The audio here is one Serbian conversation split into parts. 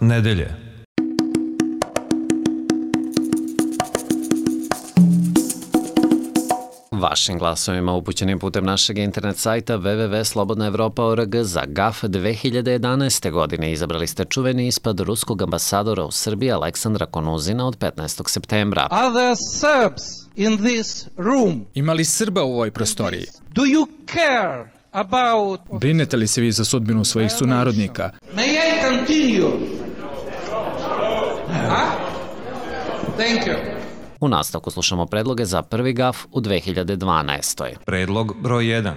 nedelje. Vašim glasovima upućenim putem našeg internet sajta www.slobodnaevropa.org za GAF 2011. godine izabrali ste čuveni ispad ruskog ambasadora u Srbiji Aleksandra Konuzina od 15. septembra. Are there Serbs in this room? Ima li Srba u ovoj prostoriji? Do you care about... Brinete li se vi za sudbinu svojih sunarodnika? May I continue? Thank you. U nastavku slušamo predloge za prvi GAF u 2012. Predlog broj 1.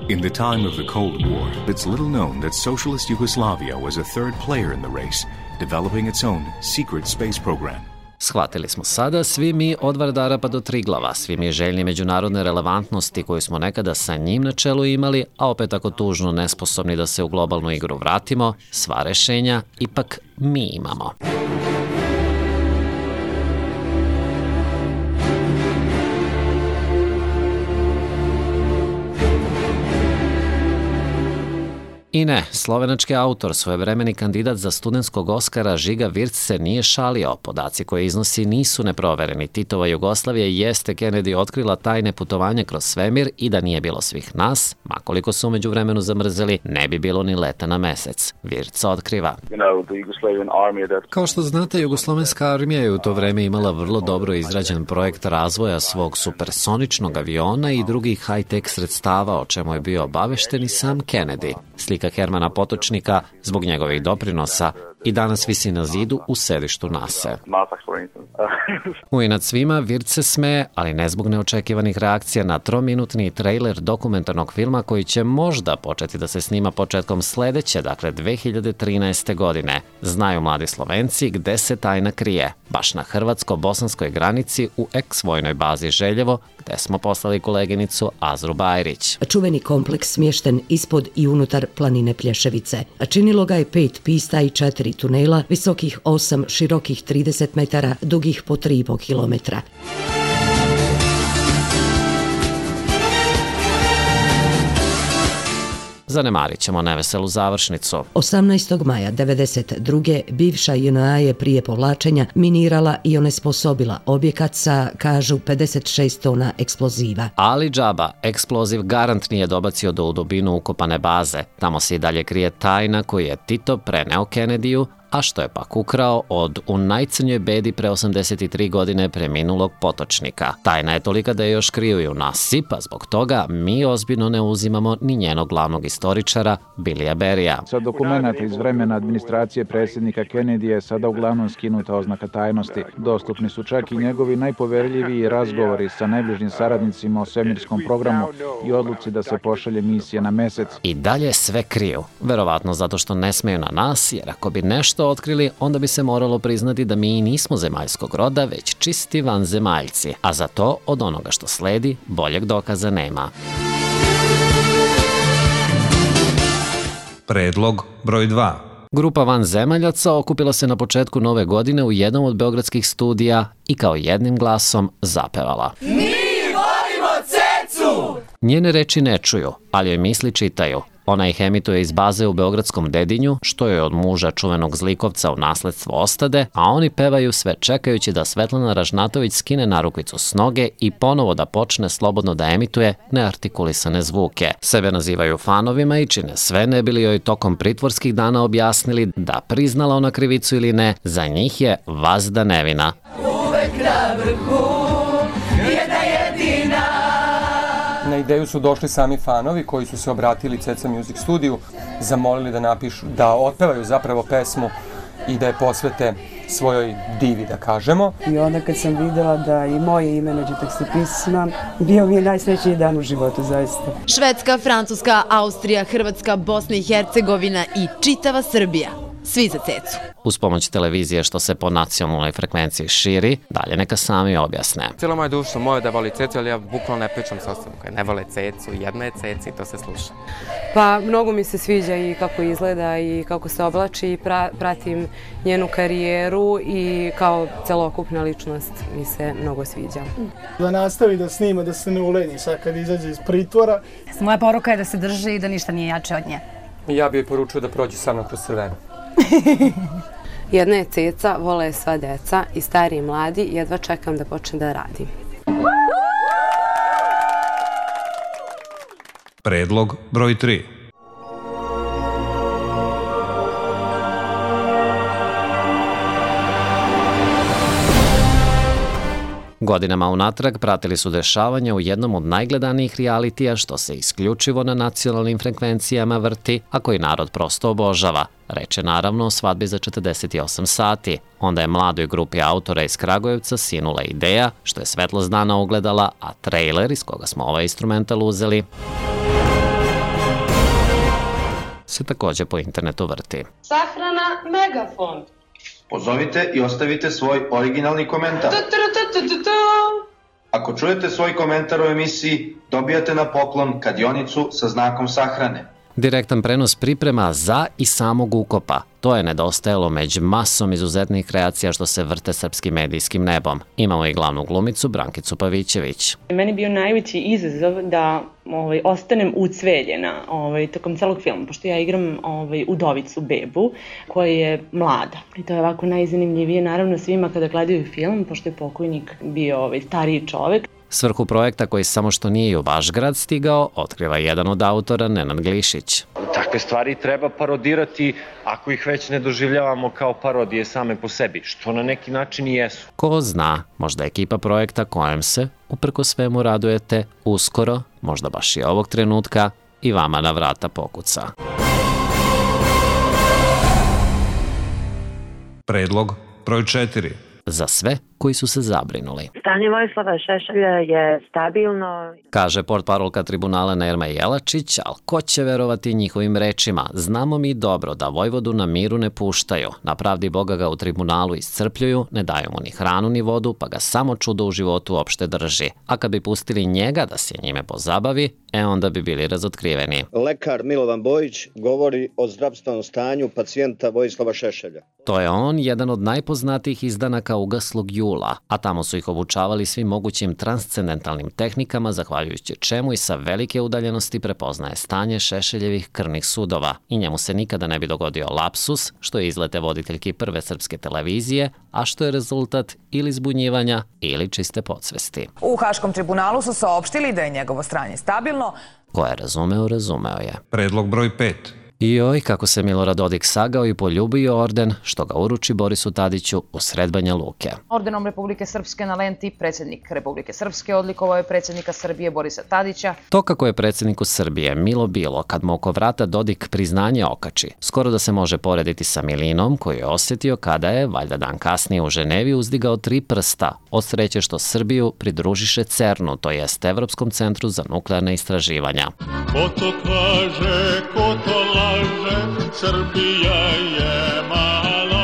In the time of the Cold War, it's little known that socialist Yugoslavia was a third player in the race, developing its own secret space program. Shvatili smo sada, svi mi od Vardara pa do Triglava, svi mi željni međunarodne relevantnosti koju smo nekada sa njim na čelu imali, a opet tako tužno nesposobni da se u globalnu igru vratimo, sva rešenja ipak mi imamo. I ne, slovenački autor, svojevremeni kandidat za studentskog Oskara Žiga Virc se nije šalio. Podaci koje iznosi nisu neprovereni. Titova Jugoslavija jeste Kennedy otkrila tajne putovanja kroz svemir i da nije bilo svih nas, makoliko su umeđu vremenu zamrzeli, ne bi bilo ni leta na mesec. Virc otkriva. Kao što znate, Jugoslovenska armija je u to vreme imala vrlo dobro izrađen projekt razvoja svog supersoničnog aviona i drugih high-tech sredstava, o čemu je bio obavešten i sam Kennedy. Slika Hermana Potočnika, zbog njegovih doprinosa, i danas visi na zidu u sedištu NASA. Uinad svima, Virc se smeje, ali ne zbog neočekivanih reakcija na 3-minutni trailer dokumentarnog filma koji će možda početi da se snima početkom sledeće, dakle 2013. godine. Znaju mladi Slovenci gde se tajna krije. Baš na hrvatsko-bosanskoj granici u ex-vojnoj bazi Željevo, gde smo poslali koleginicu Azru Bajrić. Čuveni kompleks smješten ispod i unutar planine Plješevice. Činilo ga je 5 pista i 4 tunela, visokih 8, širokih 30 metara, dugih po 3,5 kilometra. Zanemarit ćemo neveselu završnicu. 18. maja 1992. bivša JNA je prije povlačenja minirala i onesposobila objekat sa, kažu, 56 tona eksploziva. Ali džaba, eksploziv garant nije dobacio do u dubinu ukopane baze. Tamo se i dalje krije tajna koju je Tito preneo Kennedyju, a što je pak ukrao od u najcrnjoj bedi pre 83 godine preminulog Potočnika. Tajna je tolika da je još kriju i u NASA, pa zbog toga mi ozbiljno ne uzimamo ni njenog glavnog istoričara, Billya Berrya. Sa dokumenta iz vremena administracije predsjednika Kennedy je sada uglavnom skinuta oznaka tajnosti. Dostupni su čak i njegovi najpoverljiviji razgovori sa najbližim saradnicima o svemirskom programu i odluci da se pošalje misija na mesec. I dalje sve kriju, verovatno zato što ne smeju na nas, jer ako bi nešto otkrili, onda bi se moralo priznati da mi nismo zemaljskog roda, već čisti vanzemaljci, a za to od onoga što sledi boljeg dokaza nema. Predlog broj 2. Grupa vanzemaljaca okupila se na početku nove godine u jednom od beogradskih studija i kao jednim glasom zapevala. Mi volimo cecu! Njene reči ne čuju, ali joj misli čitaju. Ona ih emituje iz baze u beogradskom Dedinju, što je od muža čuvenog zlikovca u nasledstvo ostade, a oni pevaju sve čekajući da Svetlana Ražnatović skine narukvicu s noge i ponovo da počne slobodno da emituje neartikulisane zvuke. Sebe nazivaju fanovima i čine sve ne bili joj tokom pritvorskih dana objasnili da priznala ona krivicu ili ne, za njih je vazda nevina. Uvek na vrhu, jedna jedina. Na ideju su došli sami fanovi koji su se obratili Ceca Music studiju, zamolili da napišu, da otpevaju zapravo pesmu i da je posvete svojoj divi, da kažemo. I onda kad sam videla da i moje ime nađe tekstopisma, bio mi je najsrećniji dan u životu, zaista. Švedska, Francuska, Austrija, Hrvatska, Bosna i Hercegovina i čitava Srbija. Svi za cecu. Uz pomoć televizije što se po nacionalnoj frekvenciji širi, dalje neka sami objasne. Cijela moja duša moja da voli cecu, ali ja bukvalno ne pričam s osobom koja ne vole cecu, jedna je ceca i to se sluša. Pa mnogo mi se sviđa i kako izgleda i kako se oblači, pratim njenu karijeru i kao celokupna ličnost mi se mnogo sviđa. Da nastavi da snima, da se ne ulenji sad kad izađe iz pritvora. Moja poruka je da se drži i da ništa nije jače od nje. Ja bih joj poručio da prođe sa mnom kroz crveno. Jedna je ceca, vole je sva deca i stari i mladi, jedva čekam da počne da radi. Predlog broj 3. Godinama unatrag pratili su dešavanja u jednom od najgledanijih realitija što se isključivo na nacionalnim frekvencijama vrti, a koji narod prosto obožava. Reč je naravno o svadbi za 48 sati. Onda je mladoj grupi autora iz Kragujevca sinula ideja, što je svetlost dana ugledala, a trejler iz koga smo ovaj instrumental uzeli se takođe po internetu vrti. Sahrana Megafon. Pozovite i ostavite svoj originalni komentar. Ako čujete svoj komentar u emisiji, dobijate na poklon kladionicu sa znakom sahrane. Direktan prenos priprema za i samog ukopa. To je nedostajalo među masom izuzetnih kreacija što se vrte srpskim medijskim nebom. Imamo i glavnu glumicu Brankicu Pavićević. Meni je bio najveći izazov da ostanem ucveljena tokom celog filma, pošto ja igram udovicu bebu koja je mlada. I to je ovako najzanimljivije naravno svima kada gledaju film, pošto je pokojnik bio stariji čovek. Svrhu projekta koji samo što nije u vaš grad stigao, otkriva jedan od autora, Nenad Glišić. Takve stvari treba parodirati ako ih već ne doživljavamo kao parodije same po sebi, što na neki način i jesu. Ko zna, možda ekipa projekta kojem se, uprko svemu radujete, uskoro, možda baš i ovog trenutka, i vama na vrata pokuca. Predlog broj 4. Za sve koji su se zabrinuli. Stanje Vojislava Šešelja je stabilno, kaže portparolka tribunala Nerma Jelačić, ali ko će verovati njihovim rečima? Znamo mi dobro da Vojvodu na miru ne puštaju. Na pravdi Boga ga u tribunalu iscrpljuju, ne daju mu ni hranu ni vodu, pa ga samo čudo u životu uopšte drži. A kad bi pustili njega da se njime pozabavi, onda bi bili razotkriveni. Lekar Milovan Bojić govori o zdravstvenom stanju pacijenta Vojislava Šešelja. To je on, jedan od najpoznatijih izdanaka ugaslog jula, a tamo su ih obučavali svim mogućim transcendentalnim tehnikama, zahvaljujući čemu i sa velike udaljenosti prepoznaje stanje Šešeljevih krvnih sudova i njemu se nikada ne bi dogodio lapsus, što je izlete voditeljki prve srpske televizije, a što je rezultat ili zbunjivanja ili čiste podsvesti. U Haškom tribunalu su saopštili da je njegovo stanje stabilno. Ko je razumeo, razumeo je. Predlog broj 5. Joj, kako se Milorad Dodik sagao i poljubio orden, što ga uruči Borisu Tadiću u sred Banja Luke. Ordenom Republike Srpske na lenti predsjednik Republike Srpske odlikovao je predsjednika Srbije Borisa Tadića. To kako je predsjedniku Srbije milo bilo kad mu oko vrata Dodik priznanje okači, skoro da se može porediti sa Milinom koju je osjetio kada je, valjda dan kasnije u Ženevi, uzdigao 3 prsta, od sreće što Srbiju pridružiše CERN-u, to jest Evropskom centru za nuklearne istraživanja. Ko to kaže, ko to laže, Srbija je malo.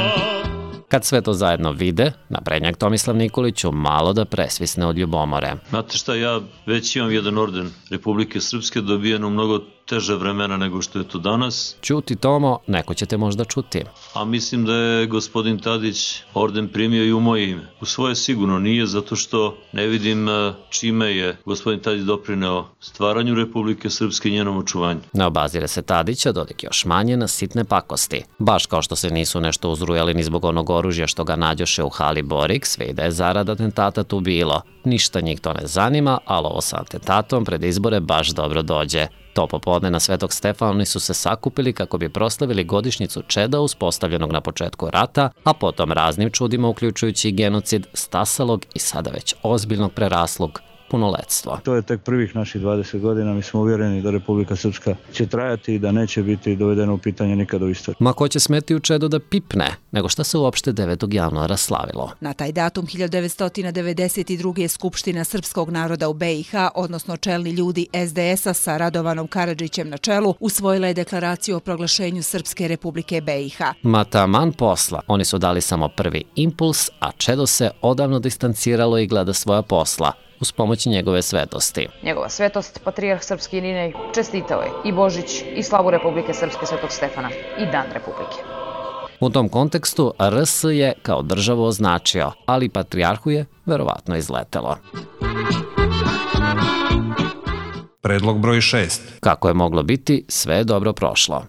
Kad sve to zajedno vide, naprednjak Tomislav Nikolić malo da presvisne od ljubomore. Znate šta, ja već imam jedan orden Republike Srpske dobijen u mnogo teže vremena nego što je to danas. Čuti Tomo, neko će te možda čuti. A mislim da je gospodin Tadić orden primio i u moje ime. U svoje sigurno nije, zato što ne vidim čime je gospodin Tadić doprineo stvaranju Republike Srpske i njenom očuvanju. Ne obazire se Tadića, Dodik još manje na sitne pakosti. Baš kao što se nisu nešto uzrujali ni zbog onog oružja što ga nađoše u hali Borik, sve i da je zarad atentata tu bilo. Ništa njih to ne zanima, ali ovo sa atentatom pred izbore baš dobro dođe. To popodne na Svetog Stefana oni su se sakupili kako bi proslavili godišnjicu čeda uspostavljenog na početku rata, a potom raznim čudima, uključujući i genocid, stasalog i sada već ozbiljnog preraslog punoletstvo. To je tek prvih naših 20 godina, mi smo uvjereni da Republika Srpska će trajati i da neće biti dovedeno u pitanje nikada u istoriji. Ma ko će smeti u čedu da pipne, nego šta se uopšte 9. januara slavilo? Na taj datum 1992. je Skupština srpskog naroda u BiH, odnosno čelni ljudi SDS-a sa Radovanom Karadžićem na čelu, usvojila je deklaraciju o proglašenju Srpske Republike BiH. Ma taman posla, oni su dali samo prvi impuls, a čedo se odavno distanciralo i gleda svoja posla, uz pomoć njegove svetosti. Njegova svetost, patrijarh Srpski Irinej, čestitao je i Božić i slavu Republike Srpske Svetog Stefana i Dan Republike. U tom kontekstu RS je kao državu označio, ali patrijarhu je verovatno izletelo. Predlog broj 6. Kako je moglo biti, sve je dobro prošlo.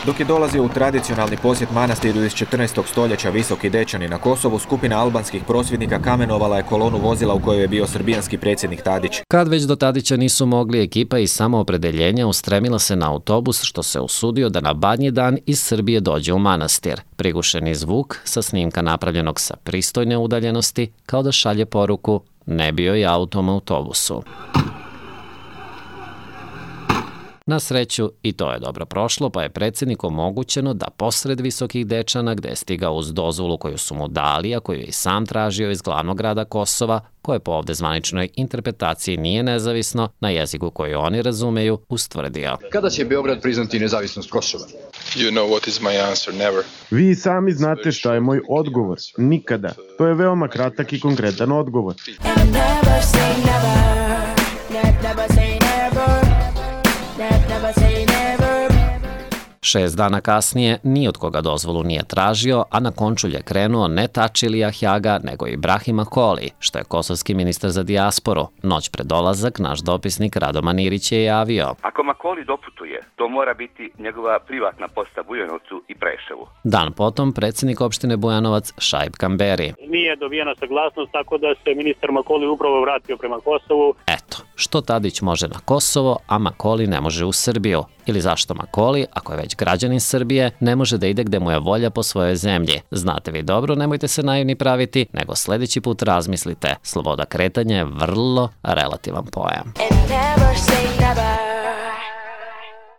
Dok je dolazio u tradicionalni posjet manastiru iz 14. stoljeća Visoki Dečani na Kosovu, skupina albanskih prosvjednika kamenovala je kolonu vozila u kojoj je bio srbijanski predsjednik Tadić. Kad već do Tadića nisu mogli, ekipa iz samoopredeljenja ustremila se na autobus što se usudio da na Badnji dan iz Srbije dođe u manastir. Prigušeni zvuk sa snimka napravljenog sa pristojne udaljenosti kao da šalje poruku ne bio je autom autobusu. Na sreću i to je dobro prošlo, pa je predsjedniku omogućeno da posred Visokih Dečana, gde je stigao uz dozvolu koju su mu dali, a koju je i sam tražio iz glavnog grada Kosova, koje po ovde zvaničnoj interpretaciji nije nezavisno, na jeziku koji oni razumeju, ustvrdio. Kada će Beograd priznati nezavisnost Kosova? You know what is my answer, never. Vi sami znate šta je moj odgovor. Nikada. To je veoma kratak i konkretan odgovor. Never say never. Never say never. Never say never. 6 dana kasnije ni od koga dozvolu nije tražio, a na Končulj je krenuo ne Tačilija Hjaga, nego Ibrahima Koli, što je kosovski ministar za dijasporu. Noć pred dolazak naš dopisnik Radoman Irić je javio. Ako Makoli doputuje, to mora biti njegova privatna posta Bujanovcu i Preševu. Dan potom predsjednik opštine Bujanovac Šaip Kamberi. Nije dobijena saglasnost, tako da se ministar Makoli upravo vratio prema Kosovu. Eto, što Tadić može na Kosovo, a Makoli ne može u Srbiju? Ili zašto Makoli, ako je već građanin Srbije, ne može da ide gde mu je volja po svojoj zemlji? Znate vi dobro, nemojte se naivni praviti, nego sljedeći put razmislite. Sloboda kretanja je vrlo relativan pojam.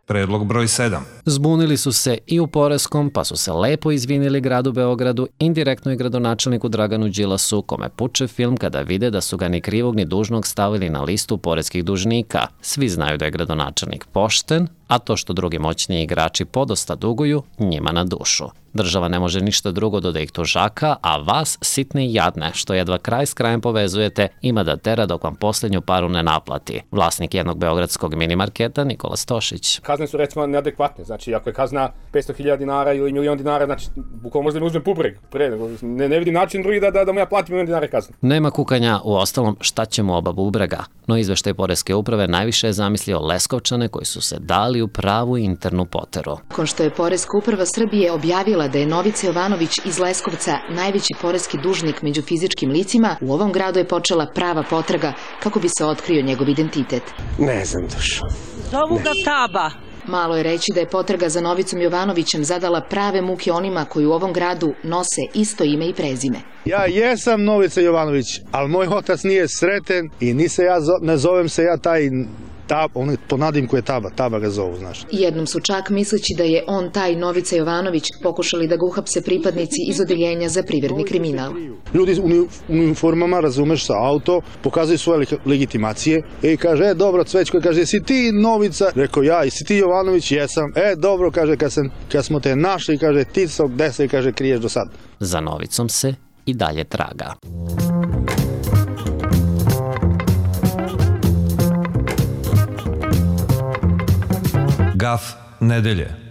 Predlog broj 7. Zbunili su se i u Poreskom, pa su se lepo izvinili gradu Beogradu, indirektno i gradonačelniku Draganu Đilasu, kome puče film kada vide da su ga ni krivog ni dužnog stavili na listu poreskih dužnika. Svi znaju da je gradonačelnik pošten, a to što drugi moćni igrači podosta duguju, njima na dušu. Država ne može ništa drugo do da ih tužaka, a vas, sitne i jadne, što jedva kraj s krajem povezujete, ima da tera dok vam posljednju paru ne naplati. Vlasnik jednog beogradskog minimarketa Nikola Stošić. Kazne su recimo neadekvatne, znači ako je kazna 500.000 dinara ili $1.000.000, znači bukvalno možda mi uzmem pubreg. Ne vidim način drugi da mu ja platim $1.000.000 kazne. Nema kukanja, u ostalom šta će mu oba bubrega, no izveštaj Poreske uprave najviše je zamislio Leskovčane koji su se dali u pravu internu poteru. Nakon što je Poreska uprava Srbije objavila da je Novica Jovanović iz Leskovca najveći poreski dužnik među fizičkim licima, u ovom gradu je počela prava potraga kako bi se otkrio njegov identitet. Ne znam dušo. Zovu ga Taba. Malo je reći da je potraga za Novicom Jovanovićem zadala prave muke onima koji u ovom gradu nose isto ime i prezime. Ja jesam Novica Jovanović, ali moj otac nije sreten i ne zovem se ja taj po nadimku je Taba ga zovu, znaš. Jednom su čak, misleći da je on taj Novica Jovanović, pokušali da ga uhapse pripadnici iz odeljenja za privredni kriminal. Ljudi u uniformama, razumeš, sa auto, pokazuju svoje legitimacije i kaže, dobro, Cvećko, kaže, jesi ti Novica? Rekao, ja, jesi ti Jovanović? Jesam. Dobro, kaže, kad smo te našli, kaže, ti se gde se, kaže, kriješ do sad. Za Novicom se i dalje traga. Gaf nedelje.